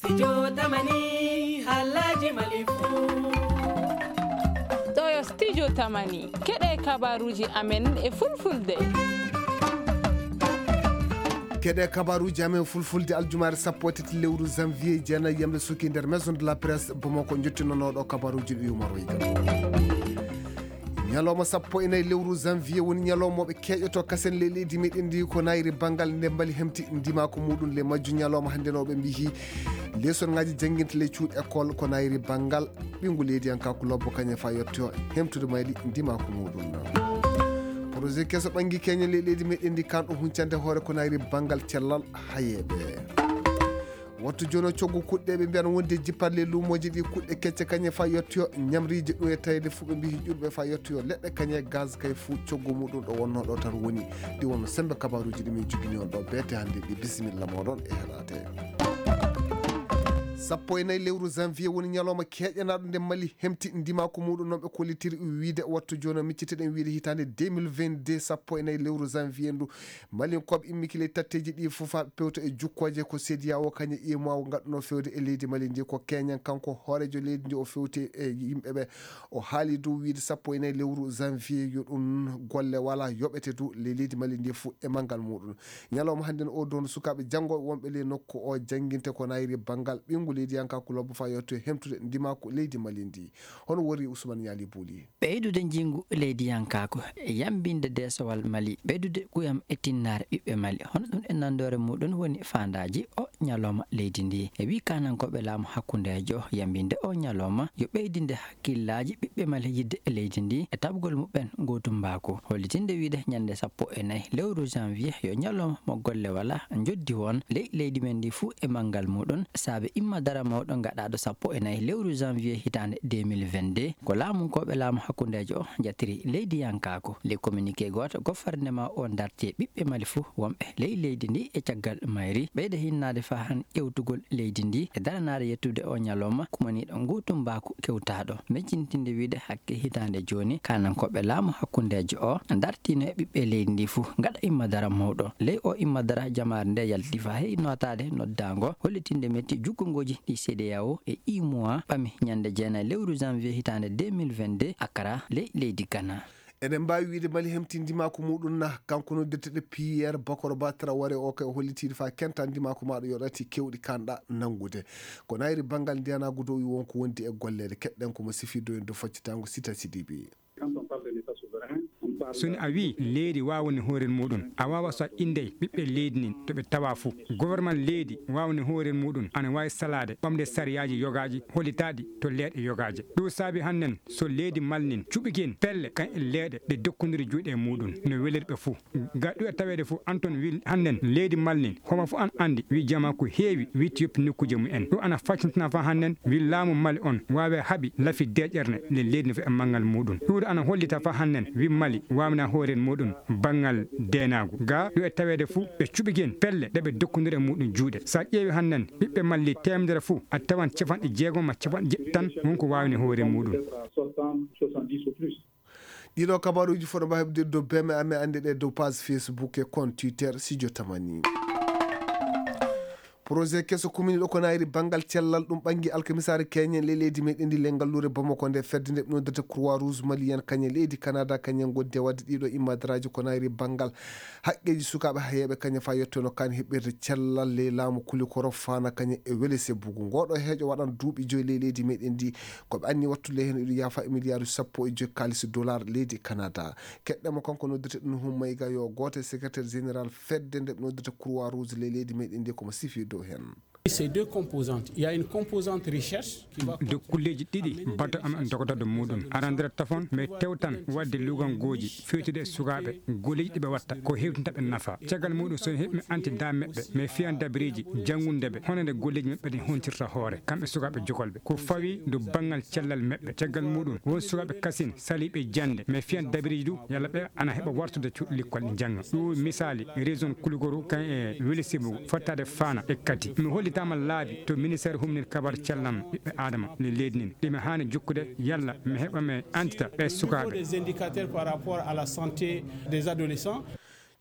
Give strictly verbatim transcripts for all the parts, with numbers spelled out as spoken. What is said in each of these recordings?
Studio Tamani, halaji Mali fu. Ɗo yo Studio Tamani, keɗe kabaruji amen e fulfulde. Keɗe kabaruji amen fulfulde aljumaare sappo e tati lewru janvier, jeenayi yamde suki nder Maison de la Presse Bamako, jottinonooɗo kabaruji ɗi Umar Wayga. Ñalawma sappo e nayi lewru janvier woni ñalawma mo ɓe keƴoto kasen ley leydi meɗen ndi ko nayri banngal nde mbali hemti ndimaaku muɗum. Ley majju ñalawma hannde no ɓe mbiyi lesson ngaji jannginta ley cuuɗi école ko nayri banngal ɓinngu leydiyankaaku lobbo kañum fa yetto hemtude mayli ndimaaku muɗum. Projet keso ɓanngi keñen ley leydi meɗen ndi kanɗo huncande hoore ko nayri banngal cellal hayeeɓe. Wattu jono coggu kuɗɗe ɓe mbiyan wonde jippalle luumooji ɗi kuɗɗe kecce kañe fa yettoyo ñamriiji ɗum e tawde fuɓe mbi ƴurɓe fa yettoyo leɗɗe kañe gaz kay fuu coggu muɗum ɗo wonno ɗo tan woni. Ɗi wonno sembe kabaruuji ɗi min jogini on ɗo beete hannde ɗi. Bisimilla moɗon e heɗaade. Sappo e nayi lewru janvier woni ñalawma keƴanaɗo nde mali hemti ndimaaku muɗum noon ɓe kollitiri wiide wattu jono micciteɗen wiide hitaande deux mille vingt-deux sappo e nayi lewru janvier ndu. Malinkooɓe immikile tatteeji ɗi fof haa ɓe pewta e jukkooje ko sediya o kañum imo ngaɗuno fewde e leydi Mali ndi ko keñen kanko hooreejo leydi ndi o fewti e yimɓe ɓe. O haali dow wiide sappo e nayi lewru janvier yo ɗum golle wala yoɓete dow ley leydi Mali ndi fof e manngal muɗum. Ñalawma hannde no o dow no sukaaɓe janngooɓe wonɓe ley nokku o jannginte ko nayri banngal ɓinngu leydiyankaaku lobbo fa yetto hemtude ndimaaku leydi Mali ndi. Hono worri Ousmane Ñaali Buuli. Ɓeydude njinngu leydiyankaaku, yambinde deesowal Mali, ɓeydude kuyam e tinnaare ɓiɓɓe Mali. Hono ɗum e nandoore muɗum woni faandaaji o ñalawma leydi ndi. E wii kaanankooɓe laamu hakkundeejo, yambinde o ñalawma yo ɓeydinde hakkillaaji ɓiɓɓe Mali yidde leydi ndi e taɓgol muɓɓen ngootumbaaku. Hollitinde wiide ñande sappo e nayi lewru janvier yo ñalawma mo golle wala, njoddi won ley leydi men ndi fuu e manngal muɗum, saabe imma dara mawɗo gaɗaaɗo sappo e nayi lewru janvier hitaande deux mille vingt-deux. Ko laamunkooɓe laamu hakkundeejo o jatiri leydiyankaaku. Ley communiqué gooto, gouvernement o darti e ɓiɓɓe Mali fof wonɓe ley leydi ndi e caggal mayri, ɓeyda hinnaade faa han ƴewtugol leydi ndi e daranaade yettude o ñalawma kumaniiɗo ngootumbaaku kewtaaɗo. Mejjintinde wiide hakke hitaande jooni, kaanankooɓe laamu hakkundeejo o dartiino e ɓiɓɓe leydi ndi fof gaɗa imma dara mawɗo. Ley o imma dara jamaare nde yalti faa heɓi nootaade noddaango, hollitinde metti jukkungooji ɗi C D A O e U M O A ɓami ñande jeenayi lewru janvier hitaande deux mille vingt-deux Accra ley leydi Ghana. Eɗen mbaawi wiyde Mali hemtindima ko muɗum na, kanko noddeteɗo Pierre Bakoro Ba Traoré o kay o hollitiiɗo faa kentandima ko maɗo yoɗati kewɗi kanɗa nanngude. Ko nayri banngal ndiyanaagu dow wonko wondi e golleede. Keɗɗen ko mo sifi dow en dow faccitango Sita Sidibe. Quand on parle de l'État souverain, on parle... So ni a wii leydi waawani hoorel muɗum, a waawa so a inndey ɓiɓɓe leydi nin to ɓe tawa fuu. Gouvernement leydi waawani hoorel muɗum ana waawi salaade ɓamde sariyaaji yogaaji hollitaaɗi to leeɗe yogaaje. Ɗum saabi hannden so leydi Mali nin cuɓike en pelle kan e leeɗe ɗe dokkondiri juuɗe e muɗum no weliri ɓe fuu. Ga ɗum e taweede fof, Anton wi hannden leydi Mali nin, homo fof an anndi, wi jama ko heewi, wi to yoppi nokkuuje mum en. Ɗum ana faccintina fa hannden, wi laamu Mali on waawe haɓi lafi deeƴerne le leydi no e manngal muɗum. Ɗum ana hollita fa hannden, wi Mali waawna hoore muɗum banngal deenaagu. Ga ɗum e taweede fof, ɓe cuɓike en pelle ɗe ɓe dokkondiri e muɗum juuɗe. So a ƴeewi hannden, ɓiɓɓe Mali teemedere fof, a tawan capanɗe jeegom ma capanɗe jeɗɗi tan wonko waawni hoore muɗum. Ɗiɗo kabaruuji fof no mbawi heɓde dow B M A, amen annde ɗe dow page Facebook e compte Twitter Studio Tamani. Projet keso kuminiɗo ko nayri banngal cellal ɗum ɓanngi alkamisaare keñen ley leydi meɗen ndi ley ngalluure Bamako nde fedde nde ɓe noddirta Croix Rouge Malienne kañe leydi Canada kañen ngoddi e waɗde ɗiɗo immadaraaji ko nayri banngal haqqeeji sukaaɓe hayeeɓe kañe faa yettono kan heɓɓirde cellal ley laamu Kulikoro faana kañe e wele sebbugu. Ngoɗo heeƴo waɗan duuɓi joyi ley leydi meɗen ndi. Ko ɓe anni wattude heen iɗo yaafa e miliyaaruuji sappo e joyi kaalis dollar leydi Canada. Keɗɗen mo kanko noddirte ɗum Nuhu Mayga yo gooto e secrétaire général fedde nde ɓe noddirta Croix Rouge ley leydi meɗen ndi ko mo sifi dow heen. Ces deux composantes, il y a une composante recherche qui va... Dow kulleeji ɗiɗi bato am en dogotoɗo muɗum. Arandira tafon, mais tewtan waɗde lugangooji fewtude e sukaaɓe, golleeji ɗi ɓe watta, ko hewtinta ɓe nafa. Caggal muɗum so heɓi mi anti da meɓɓe, mais fiyan dabreeji janngunde ɓe, hono nde golleeji maɓɓe ɗin hontirta hoore, kamɓe sukaaɓe jokolɓe. Ko fawi dow banngal cellal meɓɓe. Caggal muɗum, won sukaaɓe kasin saliiɓe jannde, mais fiyan dabreeji du, yalla ɓe ana heɓa wartude cuuɗi likkol ɗi njannga. Ɗum misaali, région Kulugoro, kan e Welesebugu, fottaade Faana e Kati. Mi hollitaama laabi to ministère humnir kabar callam ɓiɓɓe Aadama le leydi nin. Ɗi mi haani jokkude yalla mi heɓa mi antita ɓe sukaaɓe. Des indicateurs par rapport à la santé des adolescents.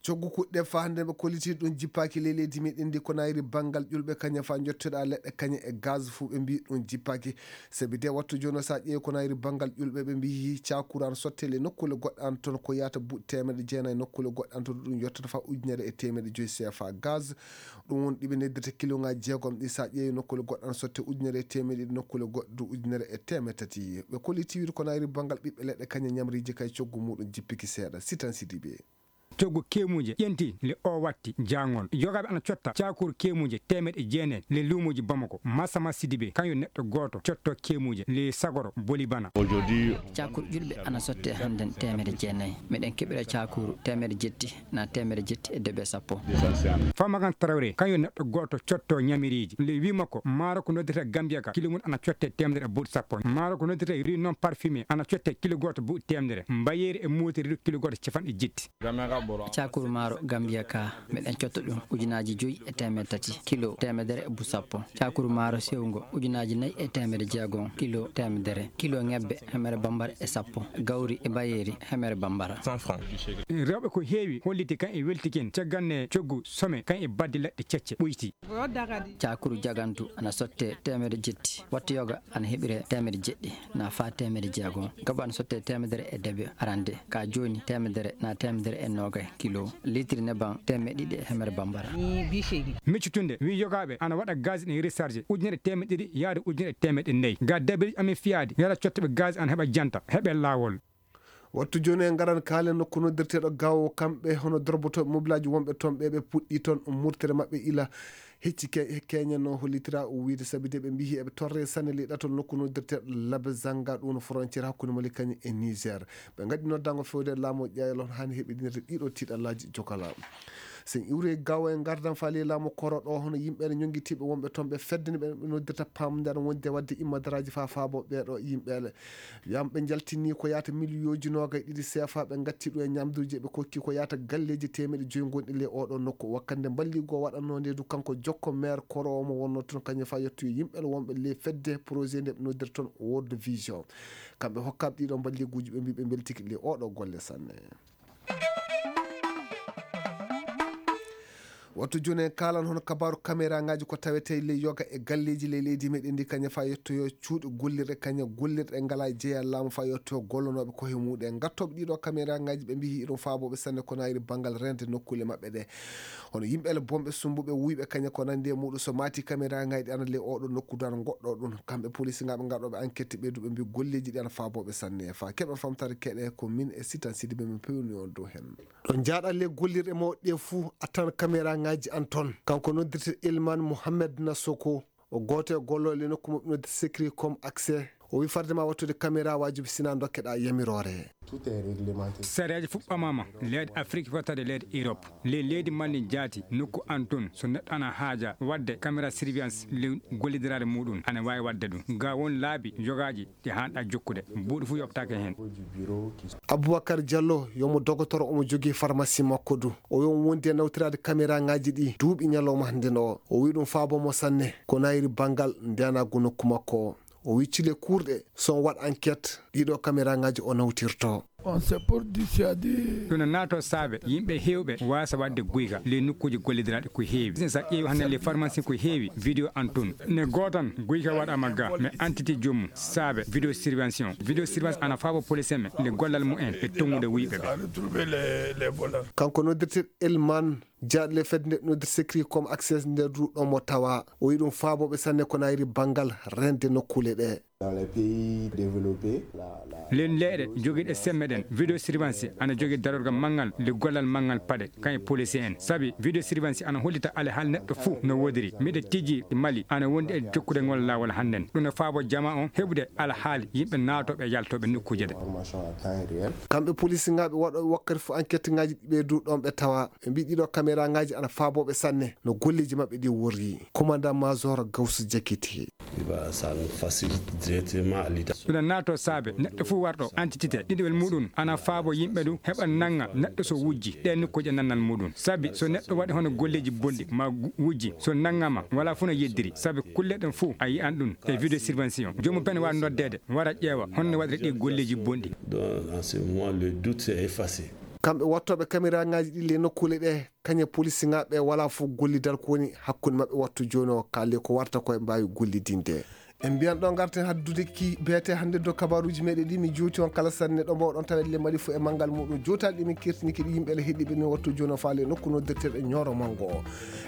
Coggu kuɗɗe faa hannde ɓe kolliti ɗum jippaaki ley leydi meɗen ndi ko nayri banngal ƴulɓe kañe faa njottoɗaa leɗɗe kañe e gaz fuu ɓe mbii ɗum jippaaki. Sabi de wattu jooni o so a ƴeewi ko nayri banngal ƴulɓe ɓe mbii cakuru ana sotte ley nokkuule goɗɗe an toon ko yahata buuɗi teemedde jeenayi nokkuule goɗɗe an toon ɗum yottata faa ujunere e teemedde joyi C F A gaz. Ɗum woni ɗi ɓe neddirta kiloŋaaji jeegom ɗi so a ƴeewi nokkuule goɗɗe ana sotte ujunere e teemedde ɗiɗi nokkuule goɗɗe ujunere e teemedde tati. Ɓe kolliti wiide ko nayri banngal ɓiɓɓe leɗɗe kañe ñamriiji kay coggu muɗum jippiki seeɗa. Sitan Sidibe. Coggu keemuuje ƴenti le o watti jaangol. Yogaaɓe ana cotta cakuru keemuuje teemeɗe jeenayi le luumuuji Bamako. Masama Sidibe kañum neɗɗo gooto cotto keemuuje le sagoro boli bana. Cakuru ƴulɓe ana sotte hannden teemeɗe jeenayi. Miɗen keɓira cakuru teemeɗe jetti na teemeɗe jetti e debe sappo. Famagan Traoré kañum neɗɗo gooto cotto ñamiriiji. Le wi makko maaro ko noddirta Gambia ka kilo mum ana cotte teemedere e buuɗi sappo. Maaro ko noddirta riz non parfumé ana cotte kilo gooto buuɗi teemedere. Mbayeeri e mootiri kilo gooto cafanɗe jetti. Cakuru maaro Gambia ka miɗen cotta ɗum ujunaaji joyi e teemedde tati kilo teemedere e buuɗi sappo. Cakuru maaro sewngo ujunaaji nayi e teemedde jeegom kilo teemedere. Kilo ŋebbe hemere bambara e sappo. Gawri e mbayeeri hemere bambara. Rewɓe ko heewi holliti kan e weltikin cagganne coggu some kan e baddi leɗɗe cecce ɓoyti. Cakuru jagantu ana sotte teemedde jetti. Wattu yoga ana heɓire teemedde jeɗɗi na faa teemedde jeegom. Gaba ana sotte teemedere e debe arande. Ka jooni teemedere na teemedere e noogay kilo. Litiri neban teemedde ɗiɗi e hemere bambara. Miccutunde wi yogaaɓe ana waɗa gaz ɗin recharge ujunere teemedde ɗiɗi yaade ujunere teemedde nayi. Ga dabiriji amin fiyaade yara cottuɓe gaz ana heɓa janta heɓe laawol. Wattu jooni en ngaran kaalen nokku noddirteeɗo Gaawo, kamɓe hono dorbotooɓe mobilaaji wonɓe toon ɓe ɓe puɗɗii toon murtere maɓɓe ila hecci keñen no hollitira o wiyde sabi de ɓe mbiyi eɓe torre sanne ley ɗatol nokku noddirteeɗo Labezanga ɗum no frontiére hakkunde Mali kañum e Niger. Ɓe ngaɗi noddango fewde laamu ƴeewal on haani heɓidinirde ɗiɗo tiiɗallaaji jokala. Sen iwri Gaawo en ngardan faali laamu koro ɗo hono yimɓe ne ñonngitiiɓe wonɓe toon ɓe fedde ne ɓe noddirta pamdar wonde wadde immadaraaji faa faabo ɓeeɗo yimɓeele. Yam ɓe njaltini ko yaata miliyooji noogay ɗiɗi seefa ɓe ngatti ɗum e ñamduuji ɓe kokki ko yaata galleeji teemeɗe joyi ngonɗi ley oɗo nokku wakkande mballigo waɗanno nde du kanko jokko maire koro mo wonno toon kañum fa yettoyo yimɓe wonɓe ley fedde projet nde ɓe noddirta toon World Vision. Kamɓe hokkaɓe ɗiɗo mballiguuji ɓe mbi ɓe mbeltiki ley oɗo golle sanne. Wattu jooni en kaalan hono kabaaru kameraaŋaaji ko tawetee ley yoga e galleeji ley leydi meɗen ndi kañe faa yettoyo cuuɗi gollirɗe kañe gollirɗe ngalaa jeyaa laamu faa yettoyo gollonooɓe kohe muɗum en ngattooɓe ɗiɗo kameraaŋaaji ɓe mbiyi iɗum faabooɓe sanne ko nayri banngal rende nokkuule maɓɓe ɗe. Hono yimɓe ele bonɓe sumbuɓe wuyɓe kañe ko nandi e muɗum so maati kameraaŋaaji ɗi ana ley oɗo nokku du ana goɗɗo ɗum kamɓe polisinŋaaɓe ngaɗooɓe enquête ɓeyduɓe mbi golleeji ɗi ana faabooɓe sanne faa keɓa famtare keɗe ko min e sitan sidi ɓe min pewni on dow hen. Ɗo njaaɗa le gollirɗe mawɗe ɗe fuu a tan kameraaŋaaji an toon. Kanko noddirte Elman Mohamed Nasoko, o gooto e gollooɓe le nokku maɓɓe noddirte Secret Com Accès. O wi farde ma wattude kameraawaaju bi sinaa ndokkeɗaa yamiroore. Sareeji fuɗɗomaama leyɗe Afrik fottade leyɗe Europe. Le leydi malli jaati nokku an toon so neɗɗo ana haaja waɗde caméra surveillance le gollidiraade muɗum ana waawi waɗde ɗum. Ga won laabi yogaaji ɗi haanɗa jokkude buuɗi fof yoɓtaake heen. Aboubacar Diallo yomo dogotoro omo jogii farmasi makko du o yomo wondi e nawtiraade kameraaŋaaji ɗi duuɓi ñalawma hannde no o wi ɗum faabo mo sanne ko nayri banngal ndeyanaagu nokku makko o wi cile kuurɗe so on waɗ enquête ɗiɗo kameraaŋaaji o nawtirto. Ɗum no naatoo saabe yimɓe heewɓe waasa waɗde guyka ley nokkuuji gollidiraaɗi ko heewi. Business a ƴeewi hannde ley farmasi ko heewi vidéo an tun ne gootan guyka waɗaama ga mais entité joomum saabe vidéo surveillance on vidéo surveillance ana faabo police en ɓe le gollal mumen e tongude wuyɓe ɓe. Kanko noddirte Elman jaaɗle fedde nde noddirte Secret Com Accès nder duɗo mo tawa o yi ɗum faabooɓe sanne ko nayri banngal rende nokkuule ɗe. Len leyɗe jogiiɗe semme ɗen vidéo surveillance ana jogii darorgal manngal le gollal manngal paɗe kan e policier en sabi vidéo surveillance ana hollita alhaali neɗɗo fuu no woodiri miɗo tijji Mali ana wondi e jokkude ngol laawol hannden ɗum no faabo jamaa on heɓude alhaali yimɓe naatooɓe e yaltooɓe nokkuuje ɗe. Kamɓe polisinŋaaɓe waɗooɓe wakkati fof enquête ŋaaji ɗi ɓe du ɗon ɓe tawa ɓe mbii ɗiɗo kameraaŋaaji ana faabooɓe sanne no golleeji maɓɓe ɗi worri. Commandant Major Gawsu Jakiti. Ɗum naatoo saabe neɗɗo fof warɗo entité ɗiɗowel muɗum ana faabo yimɓe ɗum heɓa nannga neɗɗo so wujji ɗe nokkuuje nannal muɗum sabi so neɗɗo waɗi hono golleeji bonɗi ma wujji so nanngama wala fof no yeddiri sabi kulle ɗen fof a yiyan ɗum e vidéo surveillance joomum bene waawi noddeede wara ƴeewa honno waɗiri ɗi golleeji bonɗi. Kamɓe wattooɓe kameraŋaaji ɗi le nokkuule ɗe, kañe polisiŋaaɓe wala fof gollidal ko woni hakkunde maɓɓe wattu jooni o, kaale ko warta ko e mbaawi gollidinde. En mbiyan ɗo ngarten haddude ki beete hannde dow kabaruuji meɗen ɗi mi juuti on kala sanne ɗo mbawɗon tawede le Mali fof e manngal muɗum. Jootaali ɗi min kirtini kiɗi yimɓe le heɗiɓe min wattu jooni o faale nokku noddirteɗo e Ñooro Manngo o.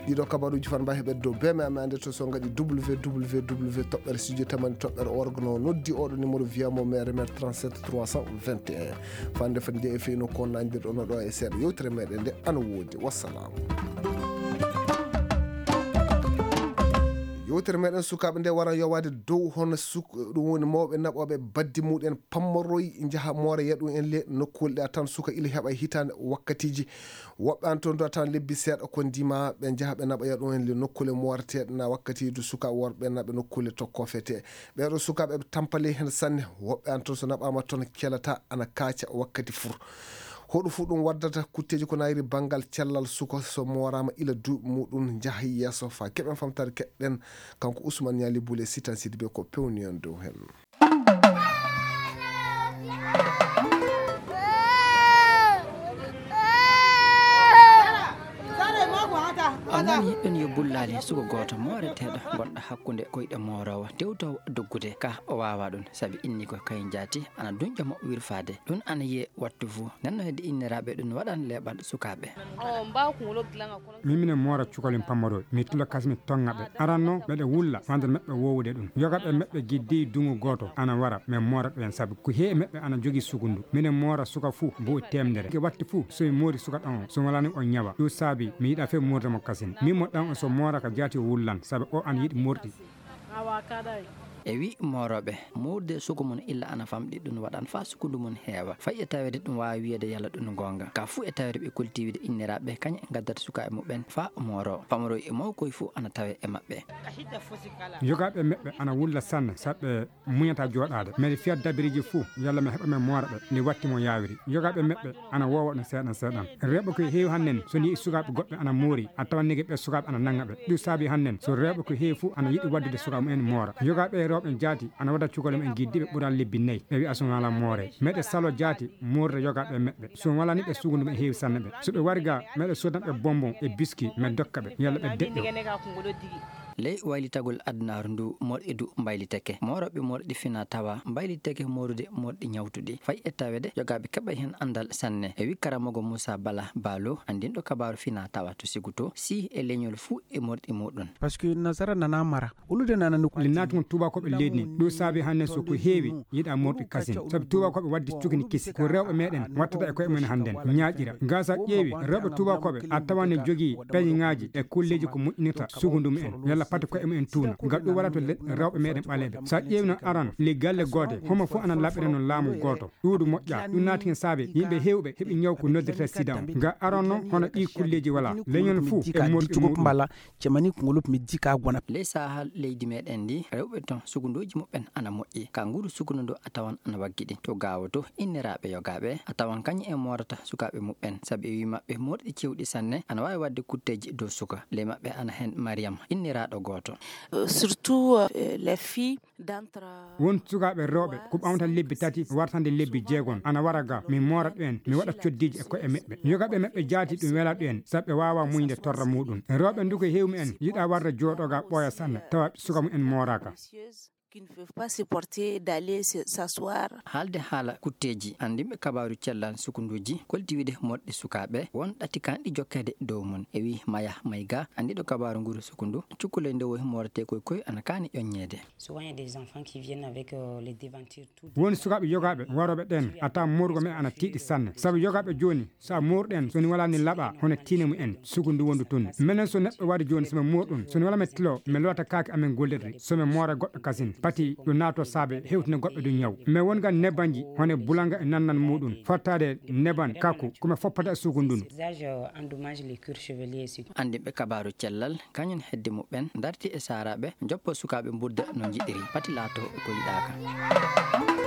Ɗiɗo kabaruuji fan mbawi heɓede dow beme amen ande to so ngaɗi www toɓɓere studio tamani toɓɓere org no noddi oɗo numéro via mo mere mere trente-sept trois cent vingt et un. Fande fande nde e feyno ko nandirɗo no ɗo e seeɗa yewtere meɗen nde ana woodi. Wassalam. Yewtere meɗen sukaaɓe nde wara yowaade dow hono suk-, ɗum woni mawɓe naɓooɓe baddi muɗen pammoroy njaha moora yaɗu en le nokkuule ɗe a tan suka ila heɓa hitaande wakkatiiji. Woɓɓe an toon do a tan lebbi seeɗa ko ndima ɓe njaha ɓe naɓa yaɗu en le nokkuule mooreteeɗe na wakkati du sukaaɓe worɓe naɓe nokkuule to kofete. Ɓeeɗo sukaaɓe ɓe tampale heen sanne. Woɓɓe an toon so naɓaama toon kelata ana kaaca wakkati fur. Hoɗo fuu ɗum waddata kutteeji ko nayri banngal cellal suka so mooraama ila duuɓi muɗum njaha yeeso faa keɓen famtaade keɗɗen kanko Ousmane Niali Boule Sitan Sidibé ko pewni en dow heen. On nani ɗon yo bullaali suka gooto mooreteeɗo gonɗo hakkunde koyɗe mooroowo tewtoowo doggude ka o waawa ɗum sabi inni ko kay jaati ana dunƴa mo wirfaade ɗum ana yiye wattu fuu nenno hedde inniraaɓe ɗum waɗan leeɓal sukaaɓe. Min minen moora cukalin pammaroy mi tula kasmi tonga ɓe aranno ɓeɗe wulla wande meɓɓe wowude ɗum yoga ɓe meɓɓe giddi dungu gooto ana wara min moora ɓen sabi ko heewi meɓɓe ana jogi sugundu minen moora suka fuu mbo temdere ke watti fuu so mi moori suka ɗan o so walani o ñawa ɗum saabi mi yiɗa fe moorde mo kasin min mo ɗan o so moora ka jaati o wullan sabi o ana yiɗi morɗi. E wi mooroɓe mourde sugu mum illa ana famɗi ɗum waɗan fa sukundu mum heewa fay e tawede ɗum wawi wiyede yalla ɗum gonga ka fuu e tawede ɓe kultiwide inniraɓe kañe gaddata sukaɓe muɓɓen fa mooro pamaro e mawkoy fuu ana tawe e maɓɓe. Jogaɓe meɓɓe ana wulla sanne saɓɓe muñata joɗade mbeɗe fiya dabiriji fuu yalla mi heɓa men moora ɓe nde watti mo yawiri. Jogaɓe meɓɓe ana wowa ɗum seeɗan seeɗan rewɓe koye heewi hannen so ni e sukaɓe goɗɓe ana moori a tawan nege ɓe sukaɓe ana nanga ɓe ɗum saabi hannen so rewɓe ko heewi fuu ana yiɗi waddude sukaɓe mumen moora. Jogaɓe e rewɓe jaati ana wada cukale mumen giddiɓe ɓural lebbi nayi ɓe wiya sum wala moore meɗe salo jaati moorde jogaɓe meɓɓe sum walani ɓe sugundu ɓe heewi sanne ɓe so ɓe wari ga meɗe sodanɓe bonbon e biski men dokka ɓe yalla ɓe deƴƴo. Ley waylitagol adunaaru ndu morɗi du mbaylitake mooroɓe morɗi fina tawa mbaylitake moorude morɗi ñawtuɗi fay e tawede jogaɓe keɓa heen andal sanne e wi karamogo moussa bala balo andinɗo kabaru fina tawa to sigu to si e leñol fuu e morɗi muɗum. Parce que nasara nana mara ulude nana nokku le natugol tubakoɓe leydi ndi ɗum saabi hannde so ko heewi yiɗa morɗi kasin sabu tubakoɓe wadde cukini kisi ko rewɓe meɗen wattata e koye mumen hannden ñaaƴira. Gasa ƴeewi rewɓe tubakoɓe a tawane jogii peñeŋaaji e kulleeji ko moƴƴinirta sugundu mumen yalla pati koye mumen tuuna ngal ɗum waɗata le rewɓe meɗen ɓaleɓe sa ƴeewino aran le galle goote homo fof ana laɓɓira no laamu gooto ɗuuɗu moƴƴa ɗum naati hen saabe yimɓe heewɓe heɓi ñaw ko noddirta sida on nga aran noon hono ɗi kulleeji wala leñol fof e morɗi muɗum. Cemani kungulup mi jika gwana. Ley saha leydi meɗen ndi rewɓe ton sugunduji muɓɓen ana moƴƴi ka nguru sugundu ndu a tawan ana waggiɗi to gawo to inniraɓe yogaɓe a tawan kañum en morata sukaɓe muɓɓen saabu e wi maɓɓe morɗi cewɗi sanne ana wawi wadde kutteji dow suka ley maɓɓe ana hen mariam inniraɗo goto. Surtout les filles. Won sukaaɓe rewɓe ko ɓamta lebbi tati wartande lebbi jeegom ana wara ga mi moora ɗumen mi waɗa coddiiji e koye meɓɓe yogaɓe meɓɓe jaati ɗum wela ɗumen sabu ɓe wawa muñde torra muɗum rewɓe nduko hewmi en yiɗa warde jooɗoga ɓooya sanne tawa suka mumen mooraka. Qui ne peuvent pas supporter d'aller s'asseoir. Haalde haala kutteeji anndinɓe kabaaru cellal sukunduuji kolti wiide moɗɗi sukaaɓe won ɗati kanɗi jokkeede dow mum e wii maya mayga anndiɗo kabaaru nguru sukundu cukkuloy ndewoy moorete koy koy ana kaani ƴoññeede. Souvent il y a des enfants qui viennent avec les devantures tout. Won sukaaɓe yogaaɓe warooɓe ɗeen a taa moorgo men ana tiiɗi sanne sabu yogaaɓe jooni so a moorɗen so ni walaa ni laɓaa hono tiine mu en sukundu wondu tun menen so neɗɗo waɗi jooni so mi moorɗum so ni walaa mi tilo mi loota kaake amen gollirɗi so mi moora goɗɗo kasin pati ɗo naato saabe hewtina goɗɗo du ñaw mi wonga nebanji hono bulanga e nannan muɗum fottaade neban kaku ko mi foppata e sukundu ndu. Anndinɓe kabaaru cellal kañum hedde muɓɓen darti e saaraaɓe joppo sukaaɓe mbudda no njiɗiri pati laato ko yiɗaaka.